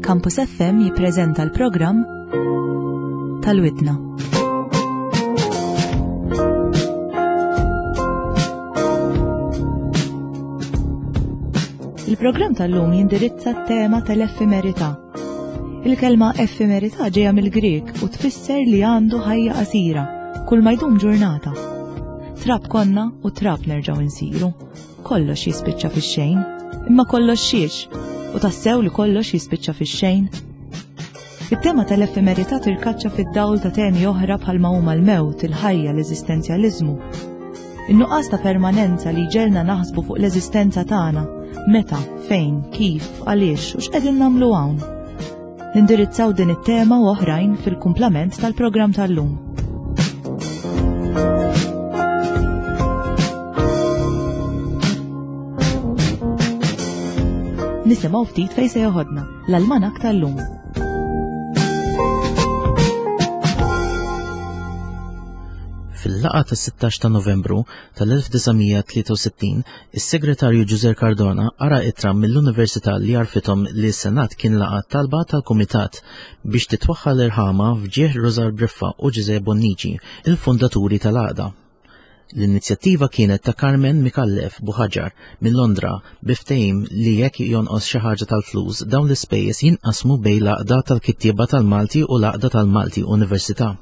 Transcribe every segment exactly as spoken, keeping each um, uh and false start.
Campus F M jippreżenta l-programm tal-Widna. Il-programm tal-lum jindirizza t-tema tal-effemerità. Il-kelma effemerità ġejja mill-Grieg u tfisser li għandu ħajja qasira, kull ma jdum ġurnata. Trab konna u trab nerġgħu nsiru. Kollox jispiċċa fix-xejn, imma kollox xiex, u tassew li kollox jispiċċa fix-xejn. It-tema tal-effemerità tirkaċċa fid-dawl ta' temi oħra bħalma huma l-mewt, il-ħajja, l-eżistenzjaliżmu. In-nuqqas ta' permanenza li ġelna naħsbu fuq l-eżistenza tagħna, meta, fejn, kif, għaliex u x'qegħdin nagħmlu hawn. Nindirizzaw din it-tema u oħrajn fil-kumplament tal-programm tal-lum. Nisimgħu ftit fejn se joħodna l-almanak tal-lum. Fil-laqgħa tas-sittax ta' Novembru tal-elf disa' mija tlieta u sittin, is-Segretarju Ġużè Cardona qara ittra mill-Università li għarrfithom li s-Senat kien laqa' talba tal-Kumitat biex titwaħħal irħama f'ġieħ Rużar Briffa u Ġużè Bonnici, il-fundaturi tal-għaqda. L-inizjattiva kienet ta' Carmen Micallef Buhagiar minn Londra, bi ftehim li jekk jonqos xi ħaġa tal-flus, dawn l-ispejjeż jinqasmu bejn l-Għaqda tal-Kittieba tal-Malti u l-Għaqda tal-Malti Università.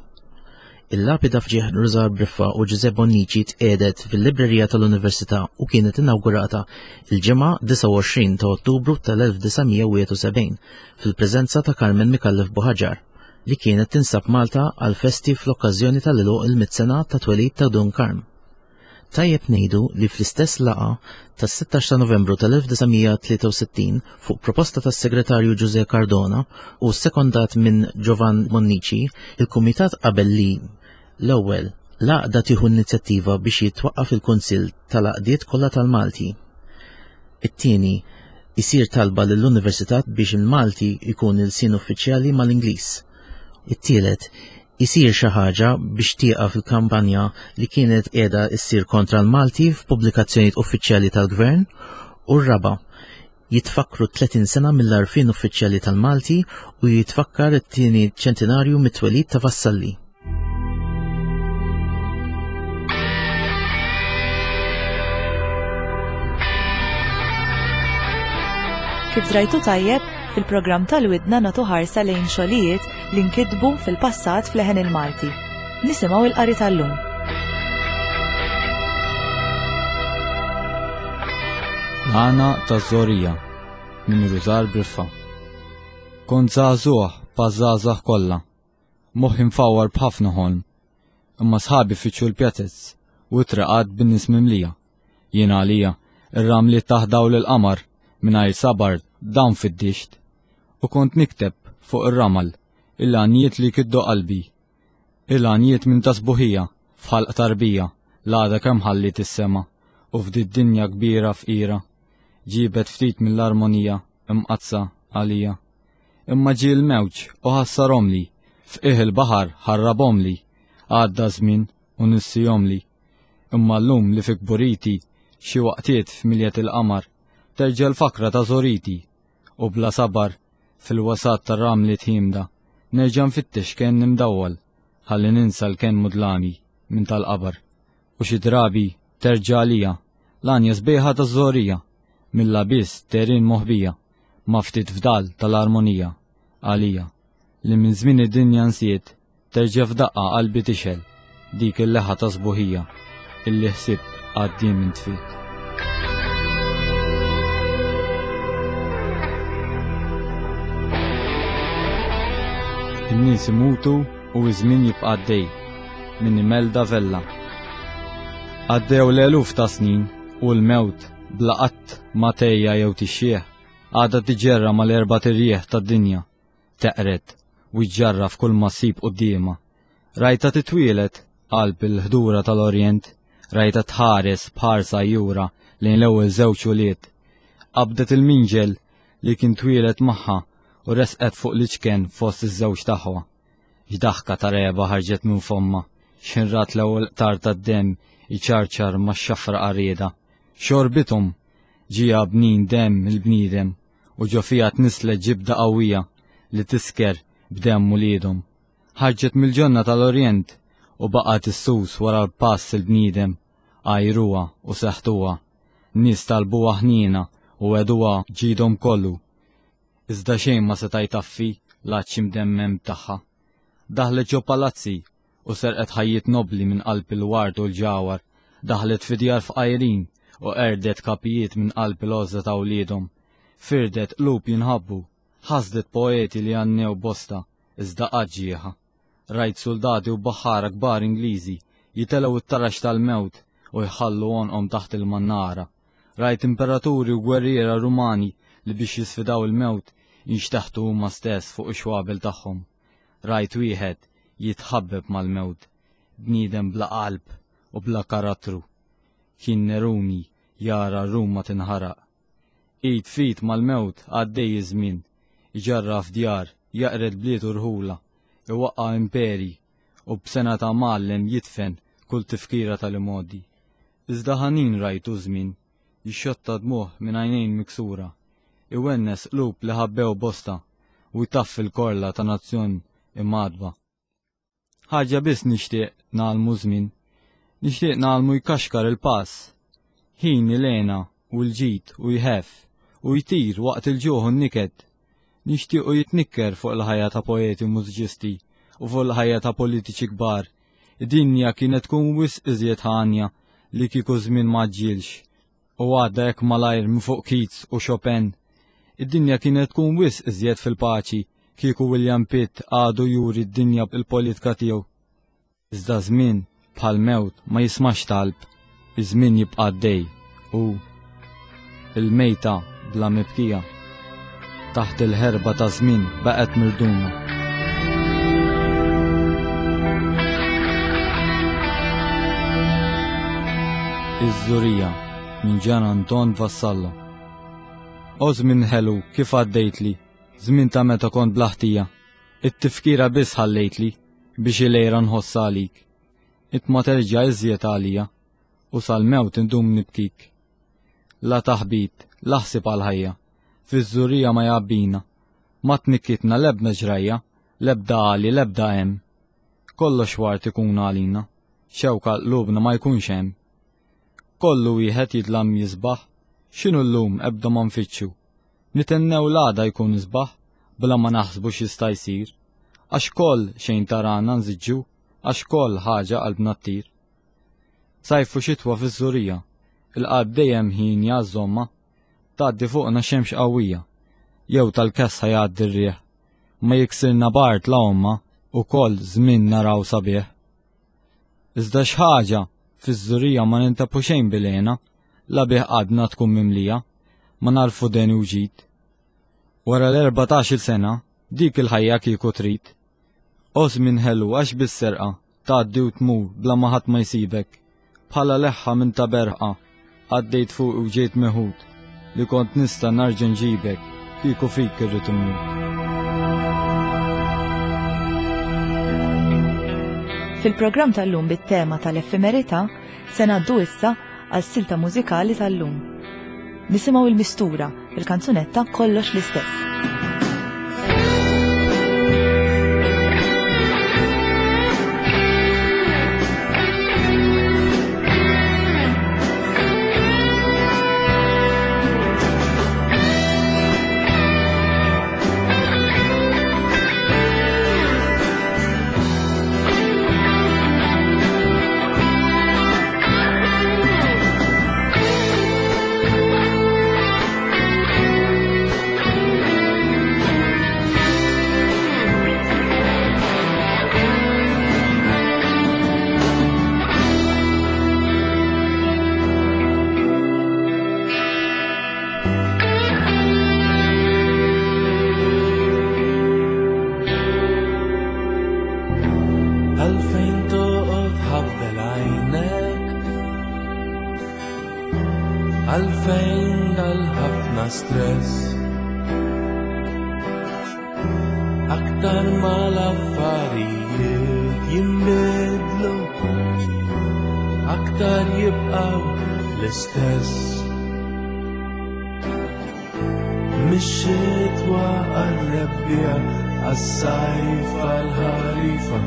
Il-lapida f'ġieħ Rużar Briffa u Ġużè Bonnici tqiegħdet fil-librerija tal-Università u kienet inaugurata il-ġimgħa disgħa u għoxrin ta' Ottubru tal-elf disa' mija wieħed u sebgħin fil-preżenza ta' Carmen Micallef Buhagiar, li kienet tinsab Malta għal festi fl-okkażjoni tal-għeluq il-mitt sena ta' twelid ta' Dun Karm. Tajjeb ngħidu li fl-istess laqgħa tas-sittax ta' Novembru tal-elf disa' mija tlieta u sittin, fuq proposta tas-Segretarju Ġużè Cardona u sekondat minn Giovan Bonnici, il-Kumitat qabel li l-ewwel l-għaqda tieħu inizjattiva biex jitwaqqaf il-Kunsill tal-Għaqdiet kollha tal-Malti. It-tieni, isir talba lill-Università biex il-Malti jkun il-lsien uffiċjali mal-Ingliż. It-tielet, isir xi ħaġa biex tieqaf il-kampanja li kienet qiegħda ssir kontra l-Malti f'pubblikazzjonijiet uffiċjali tal-Gvern, u r-raba', jitfakru tletin sena mill-għarfien uffiċjali tal-Malti u jitfakkar it-tieni ċentinarju mit-twelid ta' Vassalli. Kif drajtu tajjeb, fil-programm tal-Widna nagħtu ħarsa lejn xogħlijiet li nkitbu fil-passat f'leħen il-Malti. Nisimgħu il-qari tal-lum. L-Għana taż-Żgħorija minn Rużar Briffa. Kont żagħżugħ bħaż-żgħażagħ kollha, moħħi mfawwar b'ħafna ħolm, imma sħabi fittxu l-pjazez u t-triqat bin-nies mimlija. Jien għalija, ir-ramli taħt dawl il-qamar mingħajr sabar dawn fid-dixx, u kont nikteb fuq ir-ramal il-għanjiet li kiddu qalbi, il-għanjiet minn ta' sbuħija f'ħalq tarbija l-għada kemm ħalliet is-sema u f'did-dinja kbira fqira ġibet ftit mill-armonija imqaddsa għalija. Imma ġie l-mewġ u ħassarhomli, f'qiegħ il-baħar ħarrabhomli, għadda żmien u nissihomli. Imma llum li fi kburiti xi waqtiet f'miljet il-qamar terġa' l-fakra ta' żgħoriti, u bla sabar fil-wasat tar-ramli tħimda nerġa' nfittex kenn imdawwal ħalli ninsa l-kenn mudlami minn tal-qabar. U xi drabi terġa' għalija l-għanja sbieħa taż-żgħorija mill-abiss terin moħbija ma' ftit fdal tal-armonija għalija li minn żmien id-dinja nsiet, terġa' f'daqqa qalbi tixgħel dik il-leħa ta' sbuħija illi ħsibt għaddiem intfiet. In-nies imutu u iż-żmien jibqa' għaddej minn Imelda Vella. Għaddew l-eluf ta' snin u l-mewt bla qatt ma tgħejja jew tixjieħ għadha tiġġerra mal-erbat irjieħ tad-dinja, teqred u ġġarraf kull ma ssib quddiemha. Rajtha titwielet qalb il-ħdura tal-Orjent, rajtha tħares b'ħarsa għajjura lejn l-ewwel żewġ ulied. Qabdet il-minġel li kien twieled magħha u resqet fuq l-iċken fost iż-żewġ aħwa. X'daħka ta' regħba ħarġet minn fommha, x'ħin rat l-ewwel qtar tad-demm iċarċar max-xafra qarrieda. Xorbithom ġieha bnin demm il-bniedem u ġo fiha tnisslet ġibda qawwija. li tisker b'demm uliedhom. Ħarġet mill-ġonna tal-Orjent u baqgħet issus wara l-pass il-bniedem, għajruha u seħtuha. Nies talbuha ħniena u għeduha ġidhom kollu. Iżda xejn ma seta' jtaffi l-għatx imdemmem tagħha. Daħlet ġo palazzi u serqet ħajjiet nobli minn qalb il-ward u l-ġawar, daħlet fi djar fqajrin u qerdet kapijiet minn qalb il-għożża ta' wliedhom. Firdet qlub jinħabbu, ħasdet poeti li għannew bosta, iżda qatt ġieħa. Rajt soldati u baħħara kbar Ingliżi jitelgħu t-tarax tal-mewt u jħallu għonqhom taħt il-mannara. Rajt imperaturi u gwerriera Rumani li biex jisfidaw il-mewt jinxteħtu huma stess fuq ix-xwabel tagħhom. Rajt wieħed jitħabbeb mal-mewt, bniedem bla qalb u bla karattru. Kien Neruni jara Ruma tinħaraq. Id fit mal-mewt għaddej iż-żmien, iġarraf djar, jaqred bliet u rħula, iwaqqa' imperi u b'sena ta' mgħallem jidfen kull tifkira tal-imgħoddi. Iżda ħanin rajtu żmien, jixxotta dmuħ minn għajnejn miksura, iwennes qlub li ħabbew bosta u jtaffi l-korla ta' nazzjon imgħadba. Ħaġa biss nixtieq nagħlmu żmien, nixtieq nagħlmu jkaxkar il-pass, ħin il-għena u l-ġid u jħeff u jtir waqt il-ġuħ u n-niket. Nixtiequ jitnikker fuq il-ħajja ta' poeti u mużiċisti u fuq il-ħajja ta' politiċi kbar. Id-dinja kienet tkun wisq iżjed ħanja li kieku żmien ma ġġielx u għadda hekk malajr minn fuq Keats u Chopin. Id-dinja kienet tkun wisq iżjed fil-paċi kieku William Pitt għadu juri d-dinja bil-politika tiegħu. Iżda żmien bħal mewt ma jismax talb, iż-żmien jibqa' għaddej u il-mejta bla mibkija taħt il-ħerba ta' żmien baqgħet mirduma. Iż-Żurija minn Gian Anton Vassallo. O żmien ħelu kif għaddejtli, żmien ta' meta kont blaħtija, it-tifkira biss ħallejtli biex il-lejra nħoss għalik. Int ma terġa' iżjed għalija u sal-mewt indum nibkik. La taħbit, la ħsieb għal-ħajja, fiż-żurija ma jgħabbina, ma tnikkitna l-ebda ġrajja, l-ebda għali, l-ebda hemm. Kollox wart ikun għalina, xewka qlubna ma jkunx hemm. Kollu wieħed jidlam jisbaħ, x'inhu llum ebda ma nfittxu. Nitennew l-għada jkun isbaħ, bla ma naħsbu x'jista' jsir. Għax koll xejn tarana nżiġġu, għax koll ħaġa qalbna ttir. Sajfu xitwa fiż-żurija, il-qalb dejjem ħin jażomma, tgħaddi fuqna xemx qawwija, jew tal-kessa jgħaddi r-riħ, ma jiksirna bart la omma u koll żmien naraw sabiħ. Iżda x'ħaġa fiż-żurija ma nintapu xejn bilena, la bih qalbna tkun mimlija, ma narfu deni u ġid. Wara l-erbatax-il sena, dik il-ħajja kieku trid. O żmien ħelu għax bis-serqa tgħaddi u tmur bla ma ħadd ma jsibek, bħala leħħa minn ta' berqa, għaddejt fuq u ġejt meħud, li kont nista' narġa' nġibek kieku fik irrid immut. Fil-programm tal-lum bit-tema tal-effemerità se ngħaddu issa għas-silta mużikali tal-lum. Nisimgħu il-Mistura, il-kanzunetta Kollox l-istess. Għalfejn dal-ħafna stress, aktar ma l-affarijiet jinbidlu, aktar jibqaw l-istess. Mix-xitwa qarrebna, għar-rebbiegħa, għas-sajf għall-ħarifa,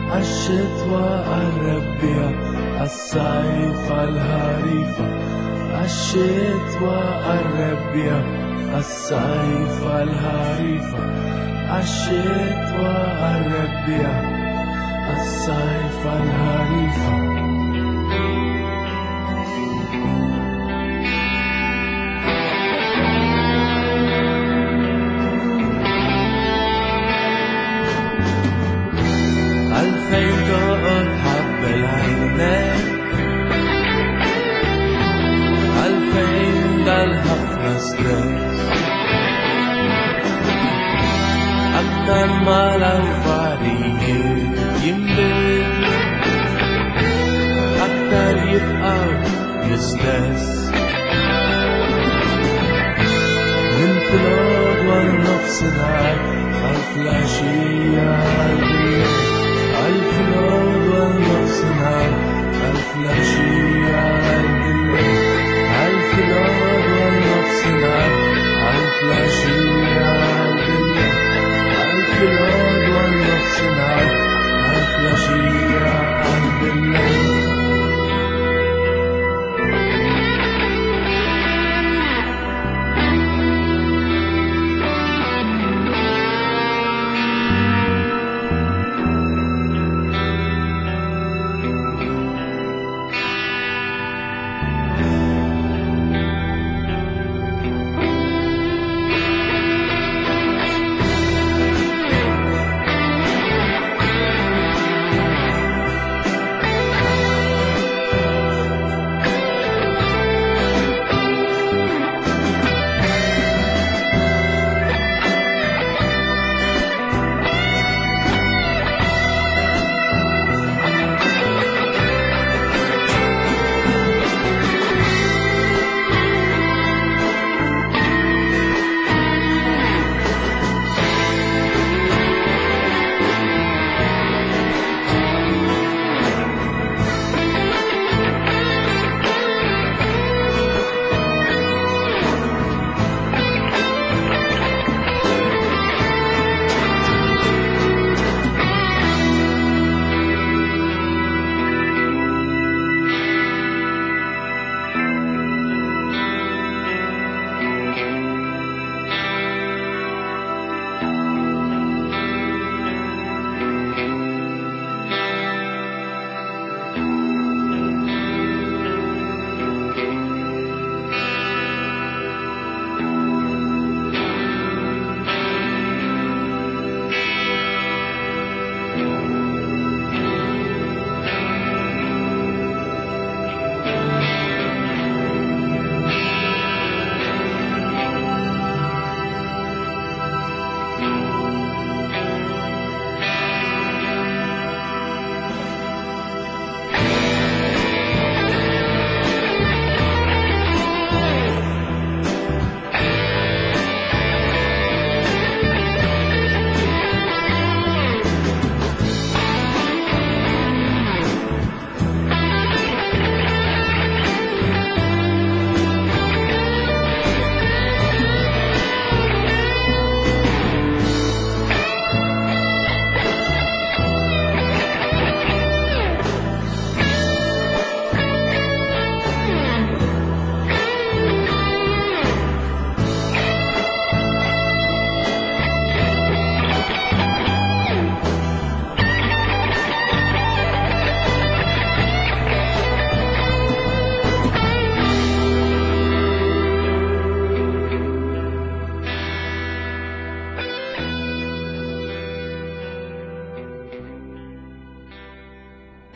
għax-xitwa għar-rebbiegħa, għas-sajf għall-ħarifa, għax-xitwa għar-rebbiegħa, għas-sajf għall-ħarifa, għax-xitwa għar-rebbiegħa, għas-sajf għall-ħarifa. Għalfejn toqgħod ħabbel għajnek, għalfejn dal-ħafna stress, aktar ma l-affarijiet jinbidlu, aktar jibqgħu l-istess. Minn filgħodu għal nofsinhar, għal filgħaxija għal bil-lejl, għal filgħodu għal nofsinhar, għal filgħaxija għal bil-lejl, għal filgħodu għal nofsinhar, għal filgħaxija għal bil-lejl, għal filgħodu għal nofsinhar, għal filgħaxija għal bil-lejl.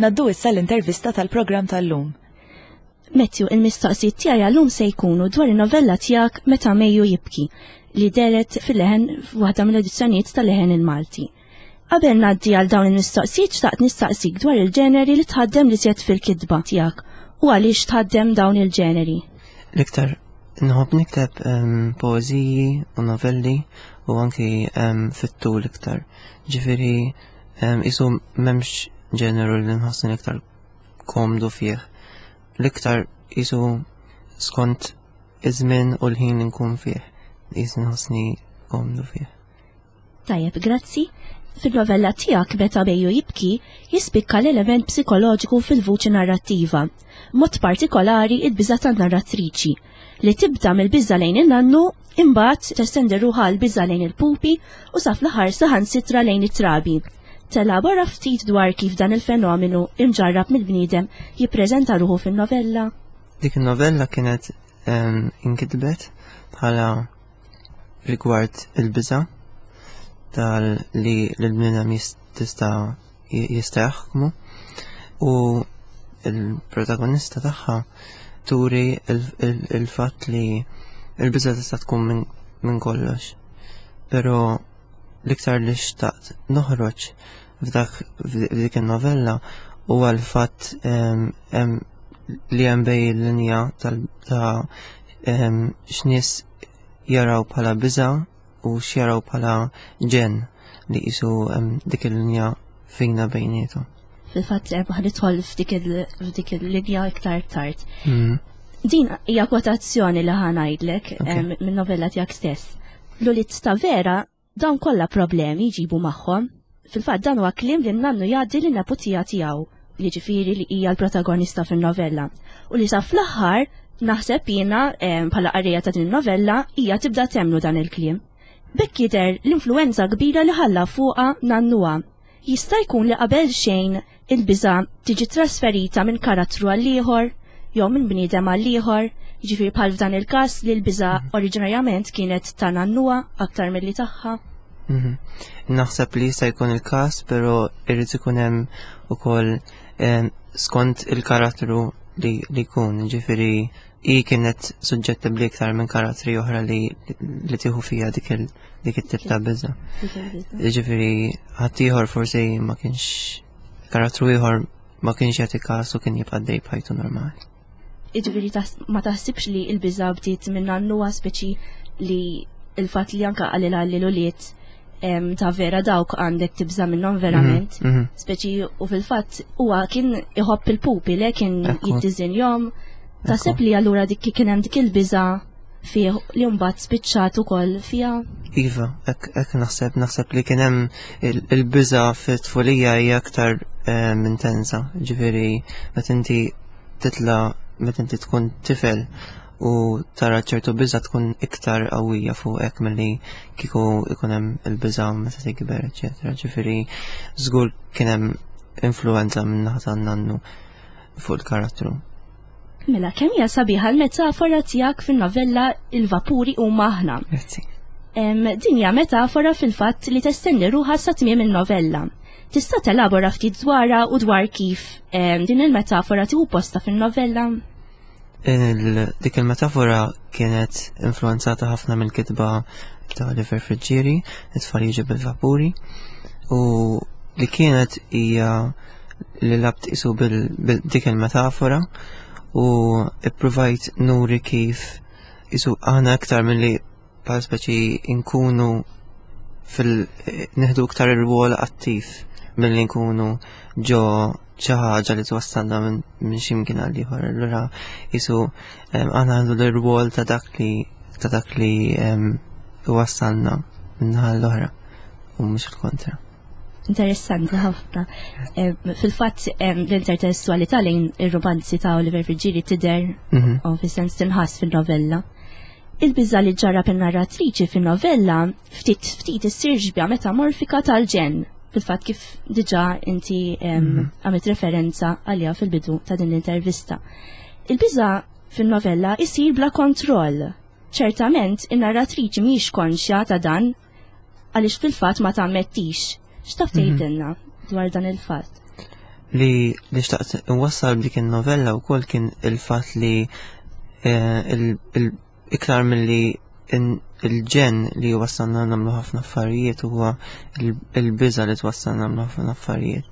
Naddu issa l-intervista tal-programm tal-lum. Matthew, il-mistoqsijiet tiegħi għallum se jkunu dwar in-novella tiegħek Meta Mejju Jibki, li dehret fil-Leħen f'waħda mill-edizzjonijiet tal-Leħen il-Malti. Qabel ngħaddi għal dawn il-mistoqsijiet xtaqt nistaqsik dwar il-ġeneri li tħaddem li żjed fil-kitba tiegħek u għaliex tħaddem dawn il-ġeneri. L-iktar nħobb nikteb ehm, poeżiji u novelli u anki ehm, fit-tul iktar. Ġifieri ehm, isu m'hemmx ġeneru li nħossni l-iktar komdu fih. L-iktar isu skont iż-żmien u l-ħin li nkun fih. Isu nħossni komdu fih. Tajjeb, grazzi. Fil-novella tiegħek Meta Mejju Jibki jispikka l-element psikoloġiku fil-vuċi narrattiva, mod partikolari il-biża' tan-narratriċi, li tibda mill-biża' lejn in-nannu, imbagħad testendi ruħha l-biża' lejn il-pupi u sa fl-aħħar saħansitra lejn it-trabi. Telabora ftit dwar kif dan il-fenomenu imġarrab mill-bniedem jippreżenta ruħu fin-novella. Dik il-novella kienet um, inkitbet bħala rigward il-biża' tal li l-bniedem tista' jista' jaħkmu u il-protagonista tagħha turi il-fatt li il-biża' tista' tkun minn kollox. Però l-iktar li xtaqt noħroġ f'dak f'dik il-novella huwa l-fatt li hemm bej il-linja ta' x'nies jaraw bħala biża' u x'jaraw bħala ġen li qisu dik il-linja fina bejnietu. Fil-fatt ħa nidħol f'dik il-linja iktar tard. Mm. Din hija kwotazzjoni li ħa ngħidlek minn novella tiegħek stess. L-ulied ta' Vera dawn kollha problemi jġibu magħhom. Fil-fatt dan huwa kliem li nannu jgħaddi lin neputija tiegħu, jiġifieri li hija l-protagonista fin-novella. U li sa fl-aħħar naħseb jiena bħala qarrejja ta' din novella hija tibda temnu dan il-kliem. B'hekk jidher l-influenza kbira li ħalla fuqha nannuha. Jista' jkun li qabel xejn il-biża' tiġi trasferita minn karattru għal ieħor jew minn bniedem għal ieħor, jiġifieri bħal f'dan il-każ li l-biża' oriġinarjament kienet ta' nannuha aktar milli tagħha. Mhm. Naħseb li jista' jkun il-każ, però irrid ikun hemm ukoll skont il-karattru li jkun, ġifieri hi kienet suġġettibbli iktar minn karattri oħra li li tieħu fija dik il dik it-tip ta' biża. Ġifieri ħaddieħor forsi ma kienx karattru ieħor ma kienx jagħti każ u kien jibqa' dej b'ħajtu normali. Jiġifieri ma taħsibx li l-biża bdiet minn nannuha, speċi li il-fatt li anka qalilha li l-ulied ta' Vera dawk għandek tibża minnhom verament. Mhm, mhm. Speċi u fil-fatt huwa kien iħobb il-pupi le kien Ekku. jiddiżinjahom. Taħseb li allura dik kien hemm dik il-biża fih li mbagħad spiċċat ukoll fiha? Iva, hekk naħseb, naħseb li kien hemm il-biża fit-tfulija hija aktar ehm, intensa. Ġifieri meta inti titla meta inti tkun tifel u tara ċertu biża tkun iktar qawwija fuqek milli kieku ikun hemm il-biża meta tikber, eċetera. Ġifieri żgur kien hemm influenza minn naħa tan-nannu fuq il-karattru. Mela, kemm hija sabiħa l-metafora tiegħek fin-novella Il-Vapuri huma aħna. Grazzi. Din hija metafora fil-fatt li testendi ruħha sa tmiem il-novella. Tista' telabora ftit dwarha u dwar kif din il-metafora tieħu posta fin-novella? Dik il-metafora kienet influenzata ħafna mill-kitba ta' Oliver Friggieri, It-tfal jiġu bil-vapuri, u li kienet hija li lgħabt qisu bil-dik il-metafora u ippruvajt nuri kif qisu aħna aktar milli bħal speċi nkunu fil nieħdu iktar ir-rwol attiv milli nkunu ġo xi ħaġa li twassalna minn x'imkien għal ieħor. Allura qisu aħna għandu l-rwol ta' dak li ta' dak li wassalna minn naħa l-oħra u mhux il-kontra. Interessanti ħafna. Fil-fatt l-intertestualità lejn ir-romanzi ta' Oliver Friggieri tidher Mhm. u fis-sens tinħass fin-novella. Il-biża li ġarrab in-narratriċi fin-novella ftit ftit issir xbieha metamorfika tal-ġenn. Fil-fatt kif diġà inti Mhm. għamilt referenza għaliha fil-bidu ta' din l-intervista. Il-biża fin-novella isir bla kontroll. Ċertament in-narratriċi mhijiex konxja ta' dan għaliex fil-fatt ma tammettix. X'taf Mhm. tgħidilna dwar dan il-fatt? Li li xtaqt nwassal b'dik in-novella wkoll kien il-fatt li eh, iktar milli il-ġenn li wassalna nagħmlu ħafna affarijiet huwa il-biża li twassalna nagħmlu ħafna affarijiet.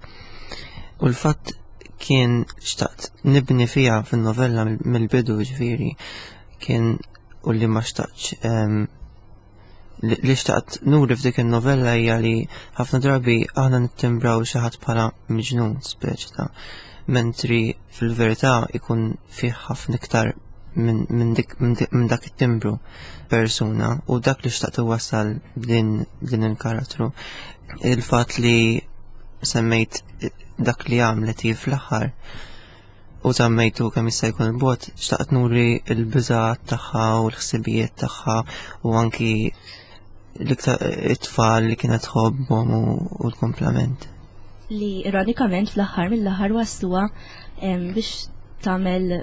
U l-fatt kien xtaqt nibni fiha fin-novella mill-bidu, ġifieri kien u li ma xtaqtx ehm, li xtaqt nuri f'dik in-novella hija li ħafna drabi aħna nittimbraw xi ħadd bħala miġnun speċi ta' mentri fil-verità ikun fih ħafna iktar minn minn dak it-timbru persuna u dak li xtaqt iwassal din din il-karattru. Il-fatt li semmejt dak li għamlet hi fl-aħħar u żammejtu kemm jista' jkun il-bogħod, xtaqt nuri l-biżgħat tagħha u l-ħsibijiet tagħha u anki l-iktar it-tfal li kienet tħobbhom u l-kumplament. Li ironikament fl-aħħar mill-aħħar wasluha biex tagħmel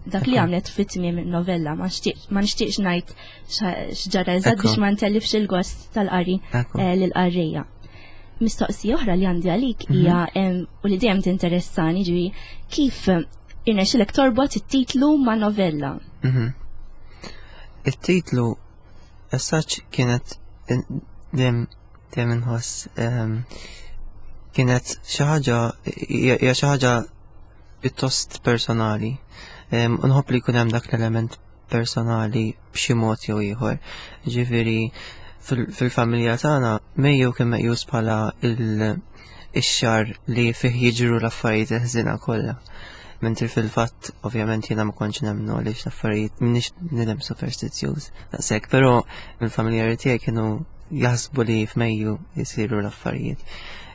dak li għamlet fit-tmiem novella. Ma nixtieqx ngħid x'ġara eżatt biex ma ntellifx il-gost tal-qari eh, lill-qarrejja. Mistoqsija oħra li għandi għalik mhm. hija u li dejjem tinteressani ġifieri kif irnexxilek torbot it-titlu ma' novella. Mhm. It-titlu as such kienet dejjem dejjem inħoss kienet xi ħaġa hija xi ħaġa pjuttost personali. Nħobb li jkun hemm dak l-element personali b'xi mod jew ieħor. Ġifieri fil-familja tagħna Mejju kien meqjus bħala ix-xahar li fih jiġru l-affarijiet il-ħżiena kollha. Mentri fil-fatt ovvjament jiena ma kontx nemmnu għaliex l-affarijiet m'iniex bniedem superstizzjuż daqshekk, però il-familjari tiegħi kienu jaħsbu li f'Mejju jisiru l-affarijiet.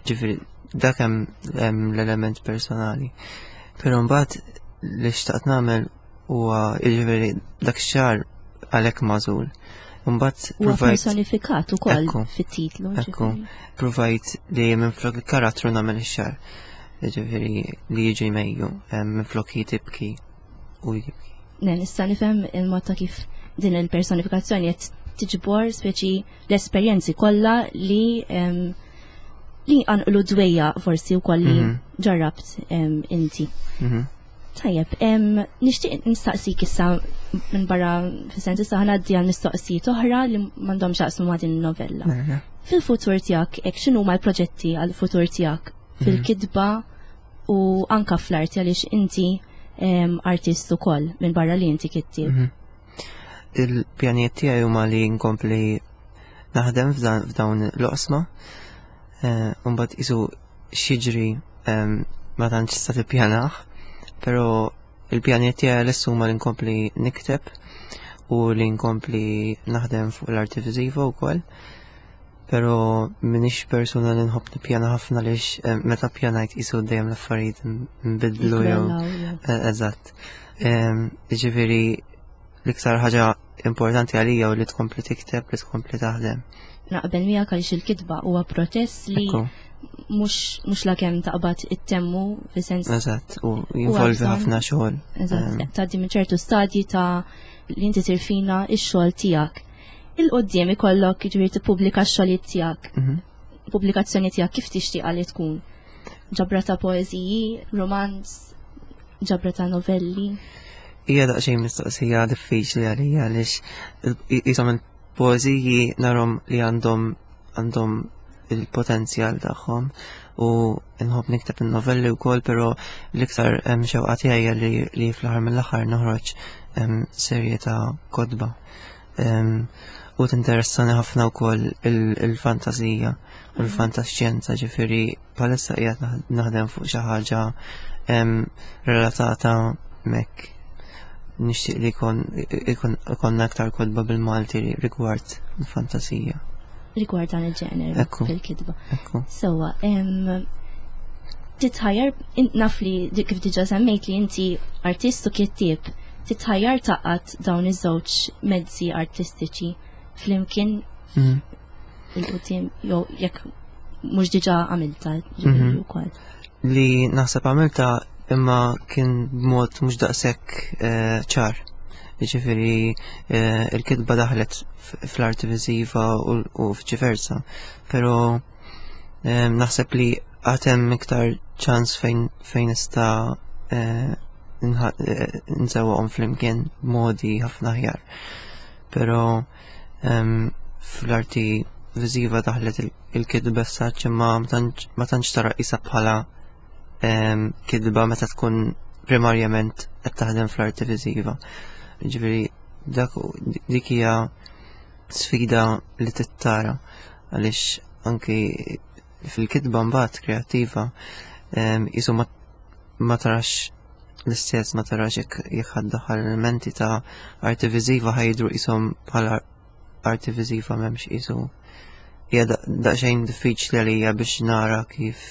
Ġifieri dak hemm l-element personali. Però mbagħad li xtaqt nagħmel huwa jiġifieri dak ix-xahar għalhekk magħżul. Mbagħad Huwa personifikat ukoll fit-titlu. Ekku, provajt li minflok il-karattru nagħmel ix-xahar. Ġifieri li jiġi Mejju, minflok hi tibki u jibki. Ne, nista' nifhem il-mod ta' kif din il-personifikazzjoni qed tiġbor speċi l-esperjenzi kollha li li għanqlu dwejja forsi wkoll li mhm. ġarrabt inti. Mhm. Tajjeb, nixtieq nistaqsik issa minn barra fis-sens issa ħanaddi għal mistoqsijiet oħra li m'għandhomx jaqsmu ma' din novella. Fil-futur tiegħek, hekk x'inhuma l-proġetti għall-futur tiegħek mhm. fil-kitba u anka fl-arti għaliex inti artist ukoll minn barra li inti kittieb. Mhm. Il-pjanijiet tiegħi huma li nkompli naħdem f'dawn l-oqsma. Eh, mbagħad isu x'jiġri ma tantx tista' tippjanah, però il-pjanijiet tiegħi għalissa huma li nkompli nikteb u li nkompli naħdem fuq l-arti viżiva wkoll. Però m'iniex persuna li nħobb nippjana ħafna għaliex eh, meta ppjanajt qisu dejjem l-affarijiet nbidlu jew eh, eżatt. Jiġifieri l-iktar ħaġa importanti għalija u li tkompli tikteb, li tkompli taħdem. Naqbel miegħek għaliex il-kitba huwa proċess li mhux mhux la kemm taqbad ittemmu fis-sens. Eżatt, u jinvolvi ħafna xogħol. Eżatt, tgħaddi minn ċertu stadji ta' li inti tirfina x-xogħol tiegħek. Il-qudiem ikollok jiġifieri tippubblika x-xogħlijiet tiegħek. Mhm. Pubblikazzjoni tiegħek kif tixtieqha li tkun? Ġabra ta' poeżiji, romanz, ġabra ta' novelli? Hija daqsxejn mistoqsija diffiċli għalija għaliex qishom il-poeżiji narhom li għandhom għandhom il-potenzjal tagħhom u nħobb nikteb in-novelli wkoll, però l-iktar xewqa tiegħi li, li fl-aħħar mill-aħħar noħroġ serje ta' kotba. U tinteressani ħafna wkoll il-fantasija u l-fantaxxjenza, ġifieri bħalissa qiegħed naħdem fuq xi ħaġa relatata mek nixtieq li jkun aktar kotba bil-Malti rigward il-fantasija. Rigward dan il-ġener fil-kitba. Sewwa, titħajjar, naf li kif diġà semmejt li inti artist u kittieb, titħajjar taqgħad dawn iż-żewġ mezzi artistiċi flimkien mhm. il-qudiem jew jekk mhux diġà għamilta ġifieri mhm. wkoll. Li naħseb għamilta imma kien b'mod mhux daqshekk eh, ċar. Jiġifieri eh, il-kitba daħlet fl-arti viżiva u viċi Però eh, naħseb li għatem iktar ċans fejn fejn nista' nsewwaqhom flimkien b'modi ħafna aħjar. Però fl-arti viżiva daħlet il-kitba saċ imma ma tantx tara qisha bħala kitba meta tkun primarjament qed taħdem fl-arti viżiva. Ġifieri dak dik hija sfida li tittara għaliex anki fil-kitba mbagħad kreattiva qisu ma tarax l-istess ma tarax jekk jekk ħa ddaħħal elementi ta' arti viżiva ħa jidhru qishom bħala arti viżiva m'hemmx qisu hija daqsxejn diffiċli għalija biex nara kif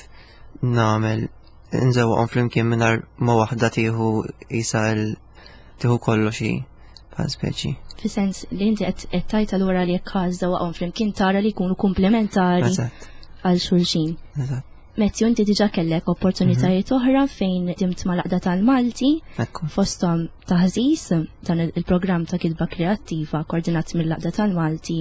nagħmel nżewwaqhom flimkien mingħajr ma waħda tieħu qisha tieħu kollox hi bħal speċi. Fi sens li inti qed tgħid allura li jekk żżewwaqhom flimkien tara li jkunu komplementari għal xulxin. Eżatt. Matthew, inti diġa kellek opportunitajiet mhm. oħra fejn ħdimt mal-Għaqda tal-Malti, fosthom Taħżiż, dan il-programm ta' kitba kreattiva koordinat mill-Għaqda tal-Malti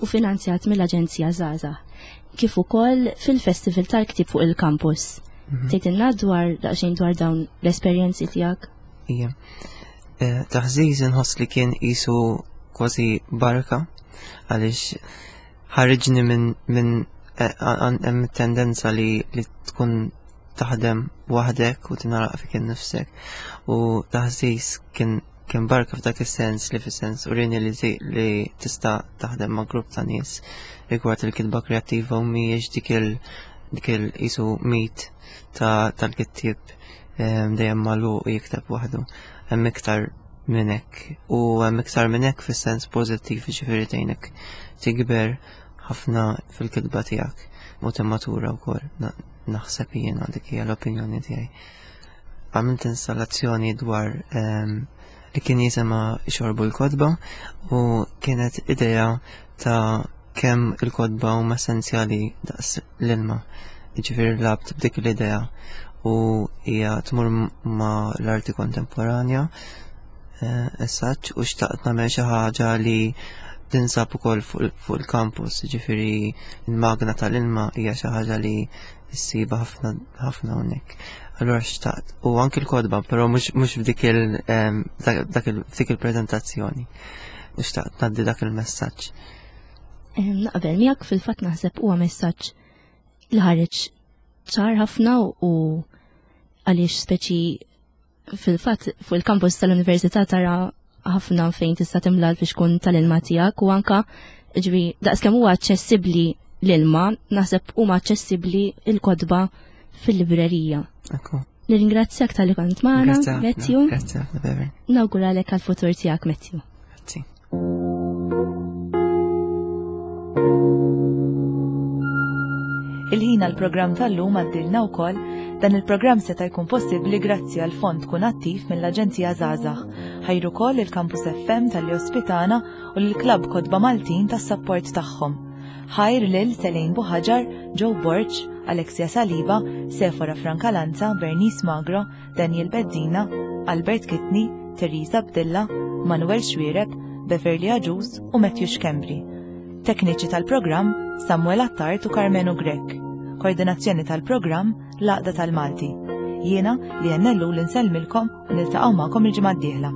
u finanzjat mill-Aġenzija Żgħażagħ, kif ukoll fil-Festival tal-Ktieb fuq il-kampus. Mhm. Tgħidilna dwar daqsxejn dwar dawn l-esperjenzi tiegħek? Ija. Eh, Taħżiż inħoss li kien qisu kważi barka għaliex ħariġni minn min eh, hemm tendenza li, li tkun taħdem waħdek u tingħalaq fik innifsek u Taħżiż kien kien barka f'dak is-sens li fis-sens urieni li, li tista' taħdem ma' grupp ta' nies rigward il-kitba kreattiva u mhijiex dik il dik il qisu mit ta' tal-kittieb ehm, dejjem magħluq u jikteb waħdu. Hemm iktar minn hekk u hemm iktar minn hekk fis-sens pożittiv ġifieri tgħinek tikber ħafna fil-kitba tiegħek u timmatura wkoll naħseb jiena dik hija l-opinjoni tiegħi. Għamilt installazzjoni dwar ehm, li kien jisimha Xorbu l-Kotba u kienet idea ta' kemm il-kotba huma essenzjali daqs l-ilma. Ġifieri lgħabt b'dik l-idea u hija tmur ma' l-arti kontemporanja eh, essaċ u xtaqt nagħmel xi ħaġa li tinsab ukoll fuq il-campus, ġifieri il-magna tal-ilma hija xi ħaġa li ssiba ħafna ħafna hawnhekk. Allura xtaqt u anki l-kotba, però mhux f'dik il dak f'dik il-preżentazzjoni. U xtaqt ngħaddi dak il-messaġġ. Naqbel miegħek fil-fatt naħseb huwa messaġġ li ħareġ ċar ħafna u għaliex speċi fil-fatt fuq il-kampus tal-università tara ħafna fejn tista' timla l-fixkun tal-ilma tiegħek u anka ġifieri daqskemm huwa aċċessibbli l-ilma, naħseb huma aċċessibbli il-kotba fil-librerija. Nirringrazzjak talli kont magħna, Matthew. Grazzi ħafna, Bever. Nawguralek għall-futur tiegħek, Matthew. Grazzi. Il-ħin għall-programm tal-lum għaddilna wkoll dan il-programm seta' jkun possibbli grazzi għal fond Kun Attiv mill-Aġenzija Żgħażagħ. Ħajru wkoll il-Campus F M tal-li ospitana u l-Klabb Kotba Maltin tas-sapport tagħhom. Ħajr lil Selene Buħaġar, Joe Borg, Alexia Saliba, Sefora Francalanza, Bernice Magro, Daniel Bezzina, Albert Kitni, Teresa Bdilla, Manuel Xwireb, Beverly Aġus u Matthew Schembri. Tekniċi tal-programm Samuel Attard u Carmenu Grech. Koordinazzjoni tal-programm L-Għaqda tal-Malti. Jiena li jennellu l-insellmilkom u niltaqgħu magħkom il-ġimgħa d-dieħla.